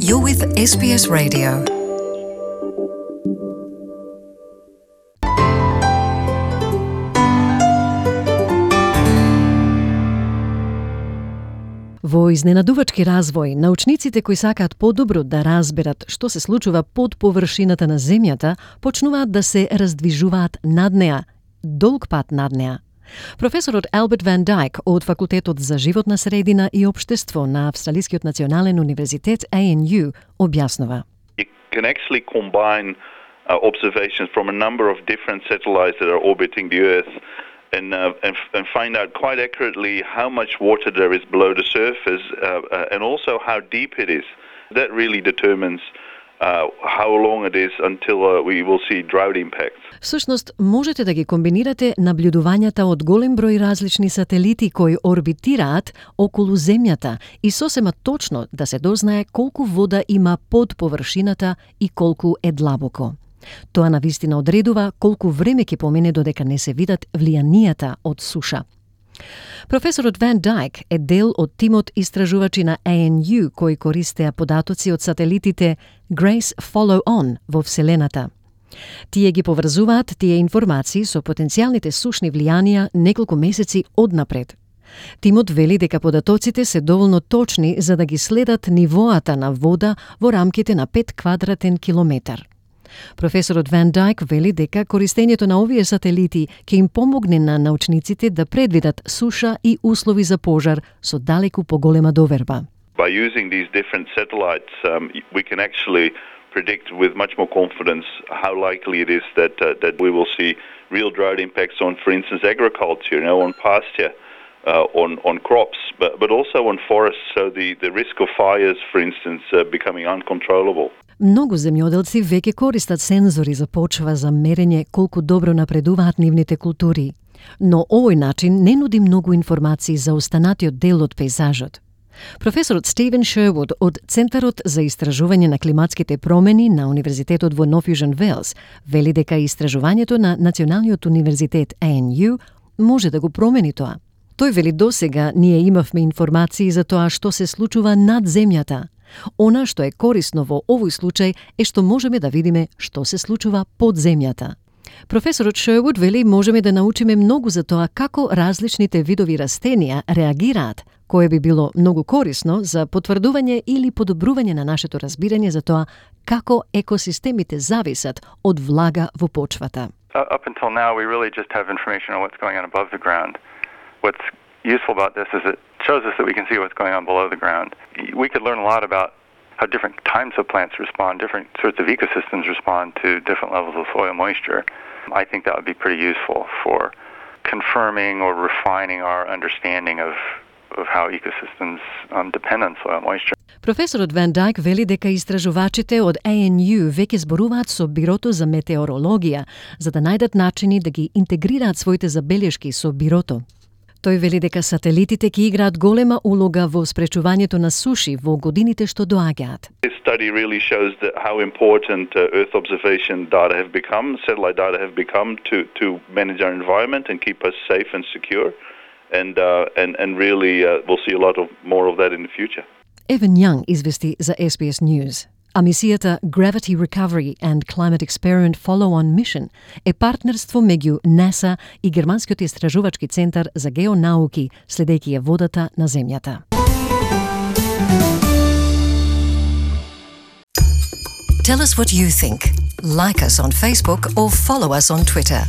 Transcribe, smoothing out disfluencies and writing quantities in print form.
You're with SBS Radio. Во изненадувачки развој, научниците кои сакаат подобро да разберат што се случува под површината на земјата, почнуваат да се раздвижуваат над неа, долг пат над неа. Професорот Albert Van Dyke од Факултетот за животна средина и општество на Австралискиот национален универзитет ANU објаснува. You can actually combine observations from a number of different satellites that are orbiting the Earth and find out quite accurately how much water there is below the surface and also how deep it is. That really determines how long it is until we will see drought impacts. Всушност, можете да ги комбинирате наблюдувањата од голем број различни сателити кои орбитираат околу Земјата и сосема точно да се дознае колку вода има под површината и колку е длабоко. Тоа навистина одредува колку време ќе помине додека не се видат влијанијата од суша. Професорот Ван Дайк е дел од тимот истражувачи на ANU кои користеа податоци од сателитите Grace Follow On во Вселената. Тие ги поврзуваат тие информации со потенцијалните сушни влијанија неколку месеци однапред. Тимот вели дека податоците се доволно точни за да ги следат нивоата на вода во рамките на 5 квадратен километар. Професорот Ван Дайк вели дека користењето на овие сателити ќе им помогне на научниците да предвидат суша и услови за пожар со далеку поголема доверба. By using these different satellites, we can actually predict with much more confidence how likely it is that we will see real drought impacts on, for instance, agriculture, on pasture, on crops, but also on forests. So the risk of fires, for instance, becoming uncontrollable. Многу земјоделци веќе користат сензори за почва за мерење колку добро напредуваат нивните култури. Но овој начин не нуди многу информации за останатиот дел од пейзажот. Професорот Стивен Шервуд од Центарот за истражување на климатските промени на Универзитетот во Нов Јужен Велс вели дека истражувањето на Националниот универзитет ANU може да го промени тоа. Тој вели досега ние имавме информации за тоа што се случува над земјата. Она што е корисно во овој случај е што можеме да видиме што се случува под земјата. Професорот Шервуд вели можеме да научиме многу за тоа како различните видови растенија реагираат, кое би било многу корисно за потврдување или подобрување на нашето разбирање за тоа како екосистемите зависат од влага во почвата. Up until now we really just have information on what's going on above the ground. What's useful about this is it shows us that we can see what's going on below the ground. We could learn a lot about how different types of plants respond, different sorts of ecosystems respond to different levels of soil moisture. I think that would be pretty useful for confirming or refining our understanding of how ecosystems depend on soil moisture. Професорот Ван Дайк вели дека истражувачите од ANU веќе зборуваат со Бирото за метеорологија за да најдат начини да ги интегрираат своите забелешки со Бирото. Тој вели дека сателитите ќе играат голема улога во спречувањето на суши во годините што доаѓаат. This study really shows that how important Earth observation data have become, satellite data have become to manage our environment and keep us safe and secure, and really we'll see a lot of more of that in the future. Evan Young извести за SBS News. А мисијата Gravity Recovery and Climate Experiment Follow-on Mission е партнерство меѓу НАСА и Германскиот истражувачки центар за геонауки, следејќи ја водата на Земјата. Tell us what you think. Like us on Facebook or follow us on Twitter.